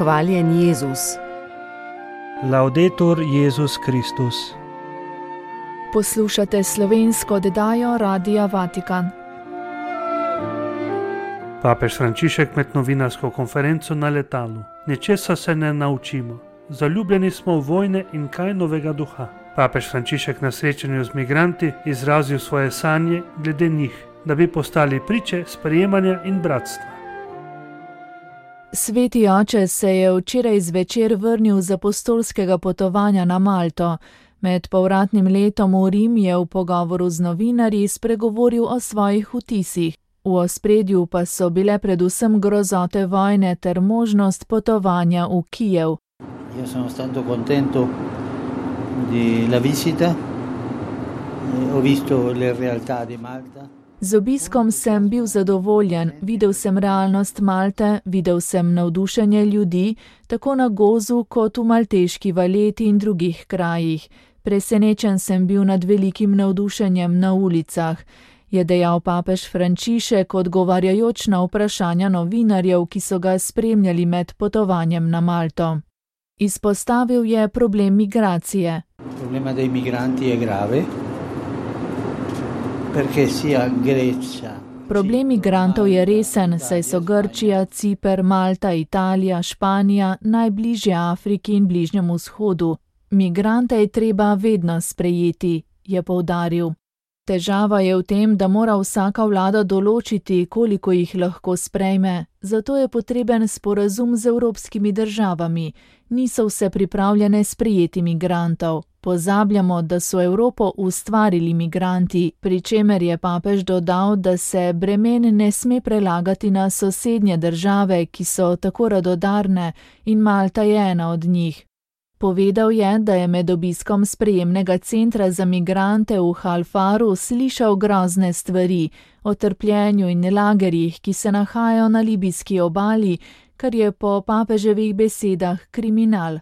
Hvaljen Jezus. Laudetur Jezus Kristus. Poslušate slovensko oddajo Radia Vatikan. Papež Frančišek med novinarsko konferenco na letalu. Nečesa se ne naučimo. Zaljubljeni smo v vojne in kaj novega duha. Papež Frančišek na srečanju z migranti izrazil svoje sanje glede njih, da bi postali priče sprejemanja in bratstva. Sveti oče se je včeraj zvečer vrnil z apostolskega potovanja na Malto. Med povratnim letom v Rim je v pogovoru z novinarji spregovoril o svojih vtisih. V ospredju pa so bile predvsem grozote vojne ter možnost potovanja v Kijev. Io sono stato contento della visita, ho visto le realtà di Malta. Z obiskom sem bil zadovoljen, videl sem realnost Malte, videl sem navdušenje ljudi, tako na Gozu kot v malteški Valeti in drugih krajih. Presenečen sem bil nad velikim navdušenjem na ulicah, je dejal papež Frančišek, odgovarjajoč na vprašanja novinarjev, ki so ga spremljali med potovanjem na Malto. Izpostavil je problem migracije. Problema dei migranti je grave. Problem migrantov je resen, saj so Grčija, Ciper, Malta, Italija, Španija najbližje Afriki in Bližnjemu vzhodu. Migrante je treba vedno sprejeti, je poudaril. Težava je v tem, da mora vsaka vlada določiti, koliko jih lahko sprejme, zato je potreben sporazum z evropskimi državami. Niso vse pripravljene sprejeti migrantov. Pozabljamo, da so Evropo ustvarili migranti, pri čemer je papež dodal, da se bremen ne sme prelagati na sosednje države, ki so tako radodarne, in Malta je ena od njih. Povedal je, da je med obiskom sprejemnega centra za migrante v Halfaru slišal grozne stvari o trpljenju in lagerjih, ki se nahajajo na libijski obali, kar je po papeževih besedah kriminal.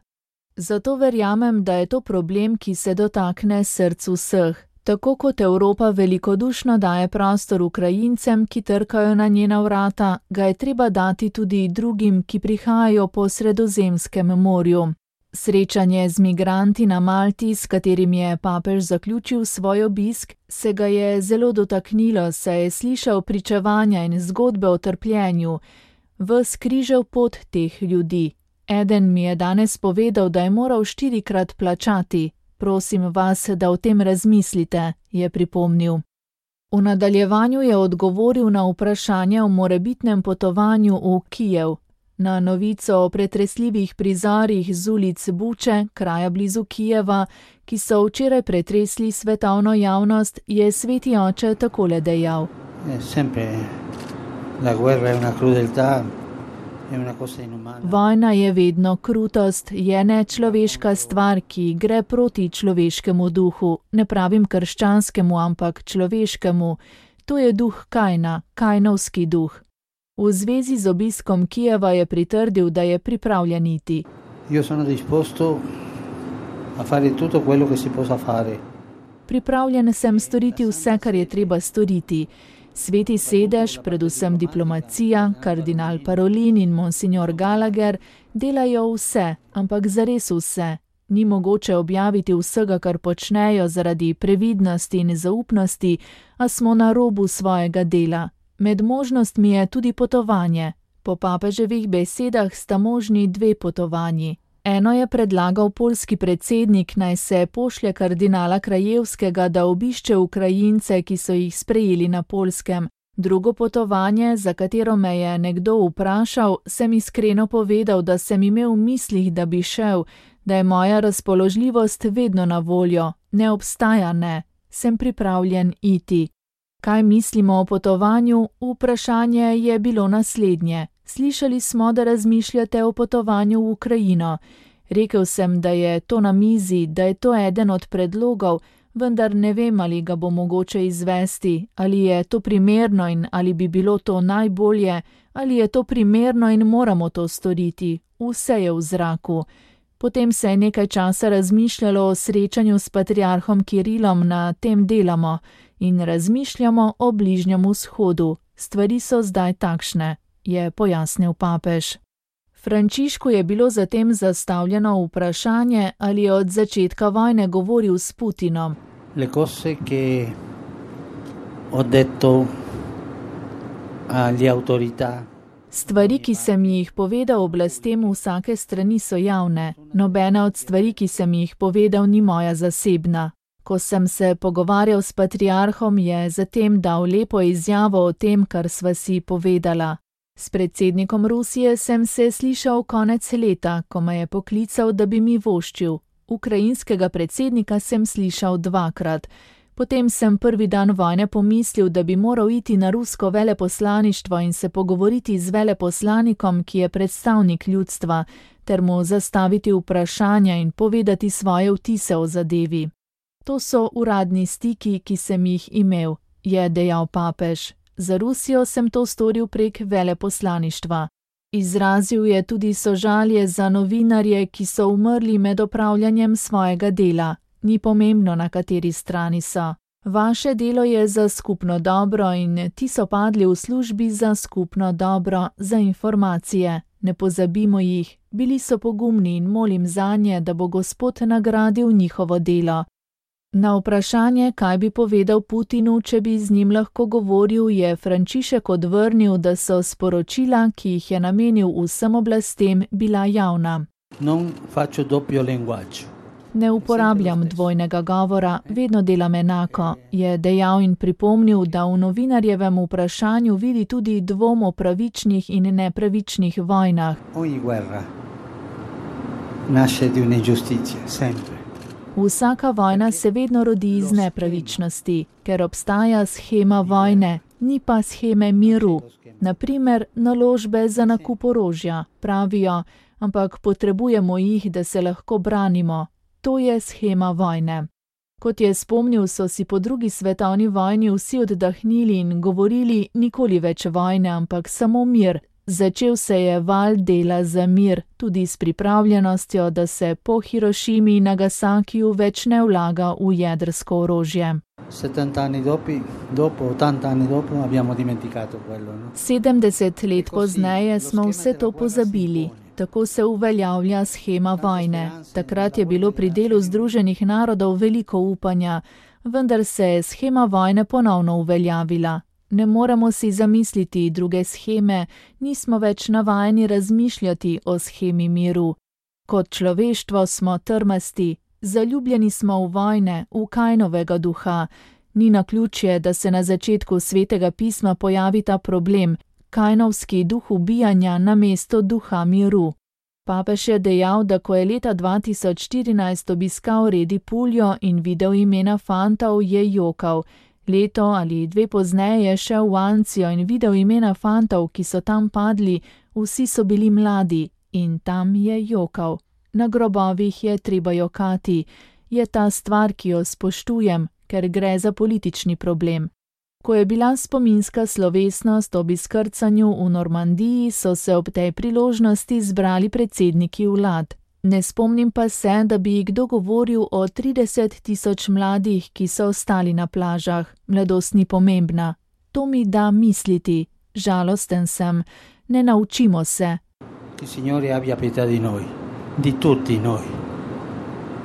Zato verjamem, da je to problem, ki se dotakne srcu vseh. Tako kot Evropa velikodušno daje prostor Ukrajincem, ki trkajo na njena vrata, ga je treba dati tudi drugim, ki prihajajo po Sredozemskem morju. Srečanje z migranti na Malti, s katerim je papež zaključil svoj obisk, se ga je zelo dotaknilo, saj je slišal pričevanja in zgodbe o trpljenju, ves križev pot teh ljudi. Eden mi je danes povedal, da je moral 4-krat plačati. Prosim vas, da o tem razmislite, je pripomnil. V nadaljevanju je odgovoril na vprašanje o morebitnem potovanju v Kijev. Na novico o pretresljivih prizorih z ulic Buče, kraja blizu Kijeva, ki so včeraj pretresli svetovno javnost, je sveti oče takole dejal. Vojna je vedno krutost, je nečloveška stvar, ki gre proti človeškemu duhu, ne pravim krščanskemu, ampak človeškemu. To je duh Kajna, kajnovski duh. V zvezi z obiskom Kijeva je pritrdil, da je pripravljen iti. Pripravljen sem storiti vse, kar je treba storiti. Sveti sedež, predvsem diplomacija, kardinal Parolin in monsignor Gallagher delajo vse, ampak zares vse. Ni mogoče objaviti vsega, kar počnejo zaradi previdnosti in zaupnosti, a smo na robu svojega dela. Med možnostmi je tudi potovanje. Po papeževih besedah sta možni 2 potovanji. Eno je predlagal poljski predsednik, naj se pošlje kardinala Krajevskega, da obišče Ukrajince, ki so jih sprejeli na Poljskem. Drugo potovanje, za katero me je nekdo vprašal, sem iskreno povedal, da sem imel v mislih, da bi šel, da je moja razpoložljivost vedno na voljo. Ne obstaja ne. Sem pripravljen iti. Kaj mislimo o potovanju? Vprašanje je bilo naslednje. Slišali smo, da razmišljate o potovanju v Ukrajino. Rekel sem, da je to na mizi, da je to eden od predlogov, vendar ne vem, ali ga bo mogoče izvesti, ali je to primerno in ali bi bilo to najbolje, ali je to primerno in moramo to storiti. Vse je v zraku. Potem se je nekaj časa razmišljalo o srečanju s patriarhom Kirilom, na tem delamo, in razmišljamo o Bližnjem vzhodu. Stvari so zdaj takšne, je pojasnil papež. Frančišku je bilo zatem zastavljeno vprašanje, ali je od začetka vojne govoril s Putinom. Le cose che ho detto alle autorità. Stvari, ki sem jih povedal oblastem vsake strani, so javne. Nobena od stvari, ki sem jih povedal, ni moja zasebna. Ko sem se pogovarjal s patriarhom, je zatem dal lepo izjavo o tem, kar sva si povedala. S predsednikom Rusije sem se slišal konec leta, ko me je poklical, da bi mi voščil. Ukrajinskega predsednika sem slišal 2-krat. Potem sem prvi dan vojne pomislil, da bi moral iti na rusko veleposlaništvo in se pogovoriti z veleposlanikom, ki je predstavnik ljudstva, ter mu zastaviti vprašanja in povedati svoje vtise o zadevi. To so uradni stiki, ki sem jih imel, je dejal papež. Za Rusijo sem to storil prek veleposlaništva. Izrazil je tudi sožalje za novinarje, ki so umrli med opravljanjem svojega dela. Ni pomembno, na kateri strani so. Vaše delo je za skupno dobro in ti so padli v službi za skupno dobro, za informacije. Ne pozabimo jih, bili so pogumni in molim zanje, da bo Gospod nagradil njihovo delo. Na vprašanje, kaj bi povedal Putinu, če bi z njim lahko govoril, je Frančišek odvrnil, da so sporočila, ki jih je namenil vsem oblastem, bila javna. Non faccio doppio linguaggio. Ne uporabljam dvojnega govora, vedno delam enako, je dejal in pripomnil, da v novinarjevem vprašanju vidi tudi dvom o pravičnih in nepravičnih vojnah. Ogni guerra nasce di un'ingiustizia, sempre. Vsaka vojna se vedno rodi iz nepravičnosti, ker obstaja shema vojne, ni pa sheme miru. Naprimer, naložbe za nakup orožja, pravijo, ampak potrebujemo jih, da se lahko branimo. To je shema vojne. Kot je spomnil, so si po 2. svetovni vojni vsi oddahnili in govorili nikoli več vojne, ampak samo mir. Začel se je val dela za mir, tudi s pripravljenostjo, da se po Hirošimi in Nagasakiju več ne vlaga v jedrsko orožje. 70 anni dopo, 80 anni dopo abbiamo dimenticato quello, no? 70 let pozneje smo vse to pozabili. Tako se uveljavlja shema vojne. Takrat je bilo pri delu Združenih narodov veliko upanja, vendar se je shema vojne ponovno uveljavila. Ne moremo si zamisliti druge sheme, nismo več navajeni razmišljati o shemi miru. Kot človeštvo smo trmasti, zaljubljeni smo v vojne, v Kainovega duha. Ni naključje, da se na začetku Svetega pisma pojavi ta problem, Kainovski duh ubijanja namesto duha miru. Papež je dejal, da ko je leta 2014 obiskal Redi Puljo in videl imena fantov, je jokal. Leto ali 2 pozneje je šel v Ancijo in videl imena fantov, ki so tam padli, vsi so bili mladi in tam je jokal. Na grobovih je treba jokati. Je ta stvar, ki jo spoštujem, ker gre za politični problem. Ko je bila spominska slovesnost ob izkrcanju v Normandiji, so se ob tej priložnosti zbrali predsedniki vlad. Ne spomnim pa se, da bi kdo govoril o 30 000 mladih, ki so ostali na plažah. Mladost ni pomembna. To mi da misliti. Žalosten sem. Ne naučimo se. Il Signore abbia pietà di noi, di tutti noi.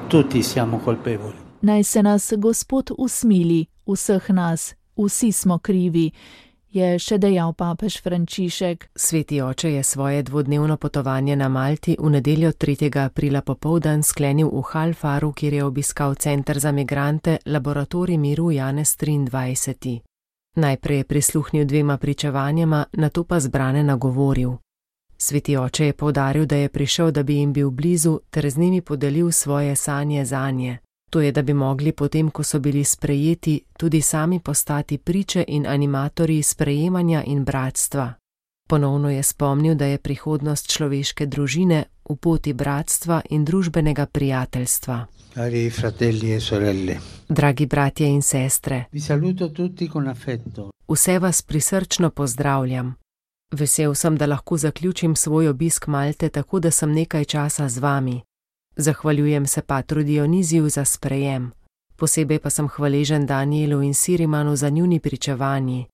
Tutti siamo colpevoli. Naj se nas Gospod usmili, vseh nas. Vsi smo krivi, je še dejal papež Frančišek. Sveti oče je svoje dvodnevno potovanje na Malti v nedeljo 3. aprila popoldan sklenil v Halfaru, kjer je obiskal Center za migrante Laboratorij miru Janez 23. Najprej je prisluhnil 2 pričevanjema, nato pa zbrane nagovoril. Sveti oče je poudaril, da je prišel, da bi jim bil blizu, ter z njimi podelil svoje sanje zanje. To je, da bi mogli potem, ko so bili sprejeti, tudi sami postati priče in animatorji sprejemanja in bratstva. Ponovno je spomnil, da je prihodnost človeške družine v poti bratstva in družbenega prijateljstva. Cari fratelli e sorelle. Dragi bratje in sestre. Vi saluto tutti con affetto. Vse vas prisrčno pozdravljam. Vesel sem, da lahko zaključim svoj obisk Malte tako, da sem nekaj časa z vami. Zahvaljujem se patru Dioniziju za sprejem. Posebej pa sem hvaležen Danielu in Sirimanu za njuni pričevanji.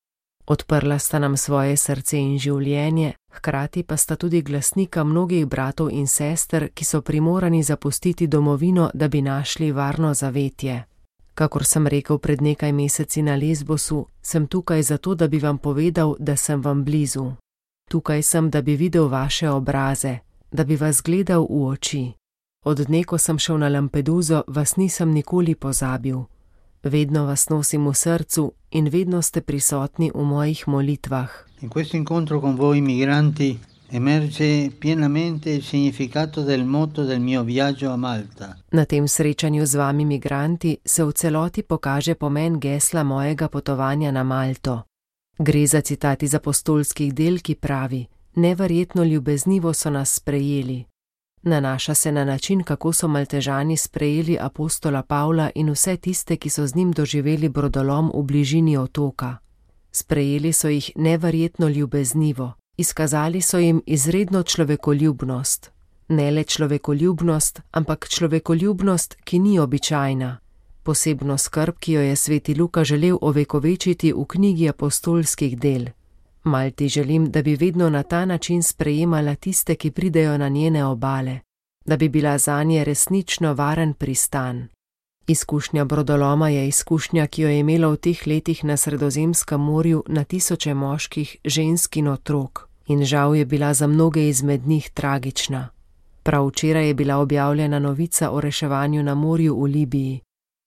Odprla sta nam svoje srce in življenje, Hkrati pa sta tudi glasnika mnogih bratov in sester, ki so primorani zapustiti domovino, da bi našli varno zavetje. Kakor sem rekel pred nekaj meseci na Lesbosu, sem tukaj zato, da bi vam povedal, da sem vam blizu. Tukaj sem, da bi videl vaše obraze, da bi vas gledal v oči. Od dne, ko sem šel na Lampeduso, vas nisem nikoli pozabil. Vedno vas nosim v srcu in vedno ste prisotni v mojih molitvah. In questo incontro con voi migranti emerge pienamente il significato del motto del mio viaggio a Malta. Na tem srečanju z vami migranti se v celoti pokaže pomen gesla mojega potovanja na Malto. Gre za citat iz apostolskih del, ki pravi: neverjetno ljubeznivo so nas sprejeli. Nanaša se na način, kako so Maltežani sprejeli apostola Pavla in vse tiste, ki so z njim doživeli brodolom v bližini otoka. Sprejeli so jih neverjetno ljubeznivo, izkazali so jim izredno človekoljubnost. Ne le človekoljubnost, ampak človekoljubnost, ki ni običajna. Posebno skrb, ki jo je sveti Luka želel ovekovečiti v knjigi apostolskih del. Malti želim, da bi vedno na ta način sprejemala tiste, ki pridejo na njene obale, da bi bila zanje resnično varen pristan. Izkušnja brodoloma je izkušnja, ki jo je imela v teh letih na Sredozemskem morju na tisoče moških, žensk in otrok, in žal je bila za mnoge izmed njih tragična. Prav včeraj je bila objavljena novica o reševanju na morju v Libiji.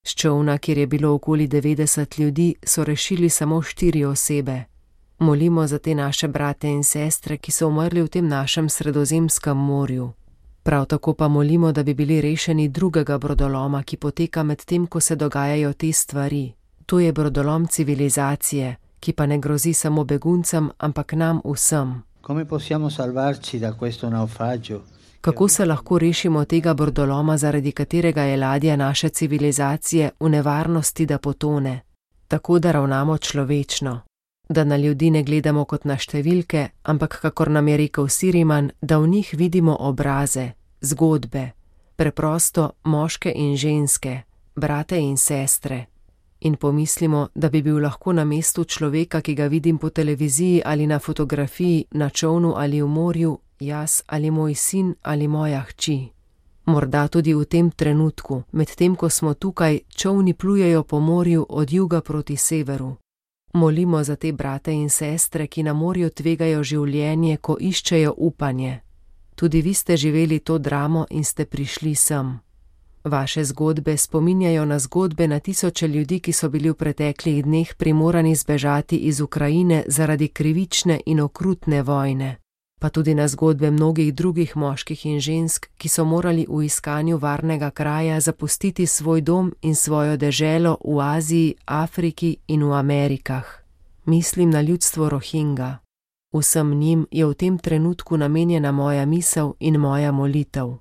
S čolna, kjer je bilo okoli 90 ljudi, so rešili samo 4 osebe. Molimo za te naše brate in sestre, ki so umrli v tem našem Sredozemskem morju. Prav tako pa molimo, da bi bili rešeni drugega brodoloma, ki poteka med tem, ko se dogajajo te stvari. To je brodolom civilizacije, ki pa ne grozi samo beguncem, ampak nam vsem. Kako se lahko rešimo tega brodoloma, zaradi katerega je ladja naše civilizacije v nevarnosti, da potone? Tako, da ravnamo človečno. Da na ljudi ne gledamo kot na številke, ampak, kakor nam je rekel Siriman, da v njih vidimo obraze, zgodbe, preprosto moške in ženske, brate in sestre. In pomislimo, da bi bil lahko na mestu človeka, ki ga vidim po televiziji ali na fotografiji, na čolnu ali v morju, jaz ali moj sin ali moja hči. Morda tudi v tem trenutku, med tem, ko smo tukaj, čolni plujejo po morju od juga proti severu. Molimo za te brate in sestre, ki na morju tvegajo življenje, ko iščejo upanje. Tudi vi ste živeli to dramo in ste prišli sem. Vaše zgodbe spominjajo na zgodbe na tisoče ljudi, ki so bili v preteklih dneh primorani zbežati iz Ukrajine zaradi krivične in okrutne vojne. Pa tudi na zgodbe mnogih drugih moških in žensk, ki so morali v iskanju varnega kraja zapustiti svoj dom in svojo deželo v Aziji, Afriki in v Amerikah. Mislim na ljudstvo Rohingja. Vsem njim je v tem trenutku namenjena moja misel in moja molitev.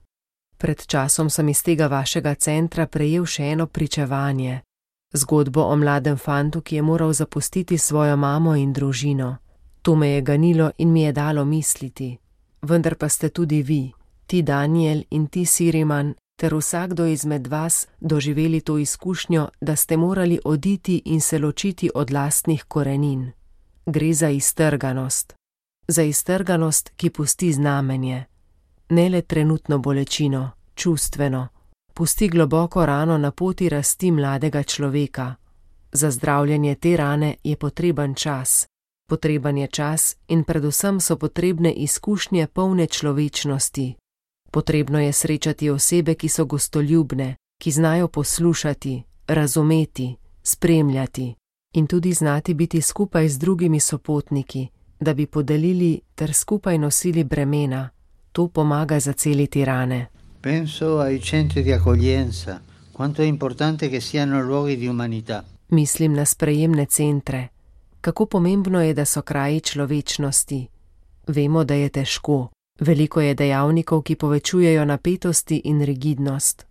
Pred časom sem iz tega vašega centra prejel še eno pričevanje. Zgodbo o mladem fantu, ki je moral zapustiti svojo mamo in družino. To me je ganilo in mi je dalo misliti. Vendar pa ste tudi vi, ti Daniel in ti Siriman, ter vsakdo izmed vas doživeli to izkušnjo, da ste morali oditi in se ločiti od lastnih korenin. Gre za iztrganost. Za iztrganost, ki pusti znamenje. Ne le trenutno bolečino, čustveno. Pusti globoko rano na poti rasti mladega človeka. Za zdravljenje te rane je potreben čas. Potreben je čas in predvsem so potrebne izkušnje polne človečnosti. Potrebno je srečati osebe, ki so gostoljubne, ki znajo poslušati, razumeti, spremljati in tudi znati biti skupaj z drugimi sopotniki, da bi podelili ter skupaj nosili bremena. To pomaga zaceliti rane. Penso ai centri di accoglienza, quanto è importante che siano luoghi di umanità. Mislim na sprejemne centre. Kako pomembno je, da so kraji človečnosti. Vemo, da je težko. Veliko je dejavnikov, ki povečujejo napetosti in rigidnost.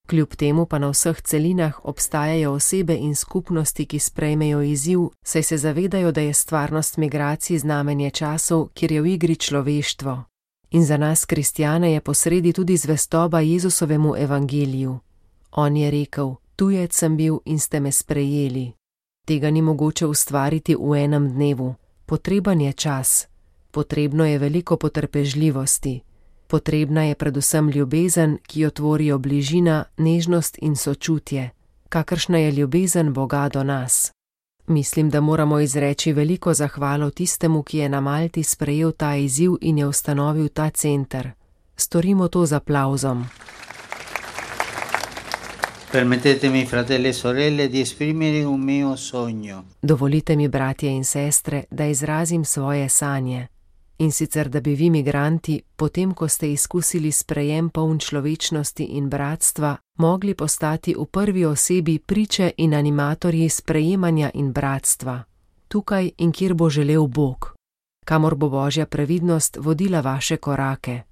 Kljub temu pa na vseh celinah obstajajo osebe in skupnosti, ki sprejmejo izziv, saj se zavedajo, da je stvarnost migracij znamenje časov, kjer je v igri človeštvo. In za nas, kristjane, je posredi tudi zvestoba Jezusovemu evangeliju. On je rekel: tujec sem bil in ste me sprejeli. Tega ni mogoče ustvariti v enem dnevu. Potreben je čas. Potrebno je veliko potrpežljivosti. Potrebna je predvsem ljubezen, ki jo tvorijo bližina, nežnost in sočutje, kakršna je ljubezen Boga do nas. Mislim, da moramo izreči veliko zahvalo tistemu, ki je na Malti sprejel ta izziv in je ustanovil ta center. Storimo to z aplavzom. Permettetemi, fratelli e sorelle, di esprimere un mio sogno. Dovolite mi, bratje in sestre, da izrazim svoje sanje. In sicer, da bi vi, migranti, potem ko ste izkusili sprejem poln človečnosti in bratstva, mogli postati v prvi osebi priče in animatorji sprejemanja in bratstva. Tukaj in kjer bo želel Bog. Kamor bo Božja previdnost vodila vaše korake.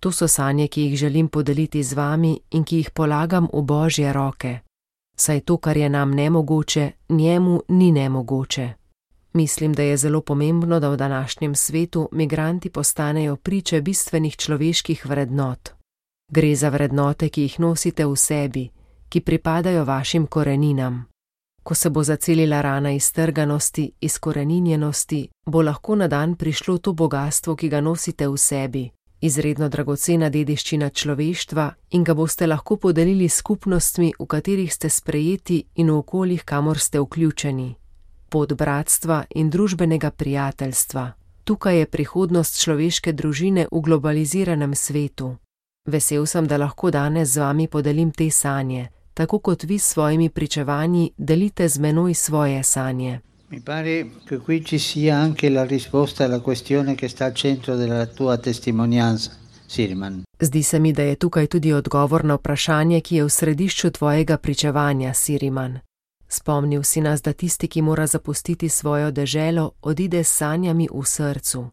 To so sanje, ki jih želim podeliti z vami in ki jih polagam v Božje roke. Saj to, kar je nam nemogoče, njemu ni nemogoče. Mislim, da je zelo pomembno, da v današnjem svetu migranti postanejo priče bistvenih človeških vrednot. Gre za vrednote, ki jih nosite v sebi, ki pripadajo vašim koreninam. Ko se bo zacelila rana iztrganosti, izkoreninjenosti, bo lahko na dan prišlo to bogastvo, ki ga nosite v sebi, izredno dragocena dediščina človeštva in ga boste lahko podelili skupnostmi, v katerih ste sprejeti in v okoljih, kamor ste vključeni. Pot bratstva in družbenega prijateljstva. Tukaj je prihodnost človeške družine v globaliziranem svetu. Vesel sem, da lahko danes z vami podelim te sanje, tako kot vi s svojimi pričevanji delite z menoj svoje sanje. Mi pare che qui ci sia anche la risposta alla questione che sta al centro della tua testimonianza, Siriman. Zdi se mi, da je tukaj tudi odgovor na vprašanje, ki je v središču tvojega pričevanja, Siriman. Spomnil si nas, da tisti, ki mora zapustiti svojo deželo, odide s sanjami v srcu.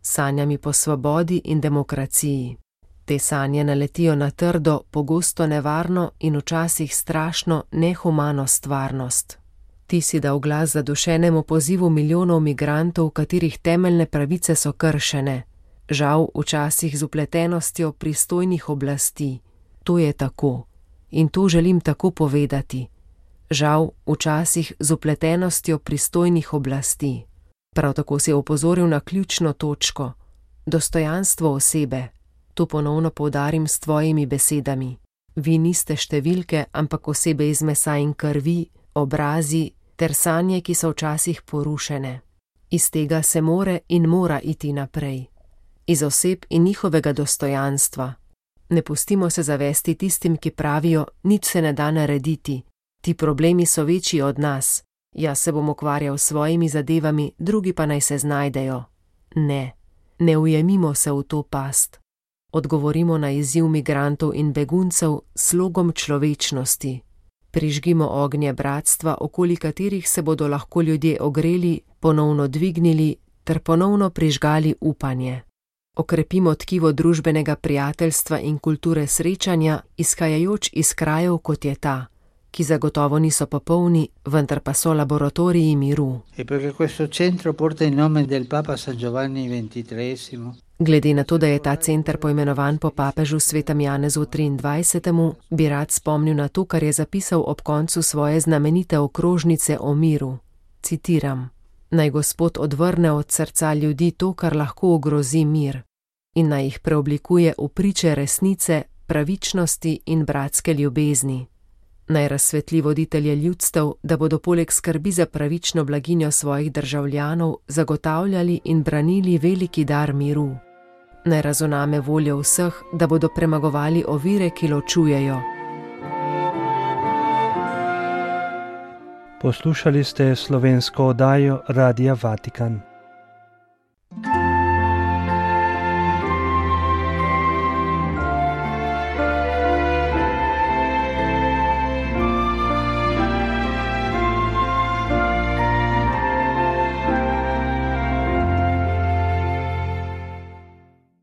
Sanjami po svobodi in demokraciji. Te sanje naletijo na trdo, pogosto nevarno in včasih strašno nehumano stvarnost. Ti si dal glas zadušenemu pozivu milijonov migrantov, katerih temeljne pravice so kršene. Žal, včasih z vpletenostjo pristojnih oblasti. To je tako. In to želim tako povedati. Žal, včasih z vpletenostjo pristojnih oblasti. Prav tako si opozoril na ključno točko. Dostojanstvo osebe. To ponovno poudarim s tvojimi besedami. Vi niste številke, ampak osebe iz mesa in krvi, obrazi ter sanje, ki so včasih porušene. Iz tega se mora iti naprej. Iz oseb in njihovega dostojanstva. Ne pustimo se zavesti tistim, ki pravijo, nič se ne da narediti. Ti problemi so večji od nas. Jaz se bom ukvarjal s svojimi zadevami, drugi pa naj se znajdejo. Ne ujemimo se v to past. Odgovorimo na izziv migrantov in beguncev s slogom človečnosti. Prižgimo ognje bratstva, okoli katerih se bodo lahko ljudje ogreli, ponovno dvignili ter ponovno prižgali upanje. Okrepimo tkivo družbenega prijateljstva in kulture srečanja, izhajajoč iz krajev, kot je ta, ki zagotovo niso popolni, vendar pa so laboratoriji miru. Glede na to, da je ta center poimenovan po papežu svetem Janezu 23., bi rad spomnil na to, kar je zapisal ob koncu svoje znamenite okrožnice o miru. Citiram: Naj Gospod odvrne od srca ljudi to, kar lahko ogrozi mir, in naj jih preoblikuje v priče resnice, pravičnosti in bratske ljubezni. Naj razsvetli voditelje ljudstev, da bodo poleg skrbi za pravično blaginjo svojih državljanov zagotavljali in branili veliki dar miru. Naj razuname voljo vseh, da bodo premagovali ovire, ki ločujejo. Poslušali ste slovensko oddajo Radia Vatikan.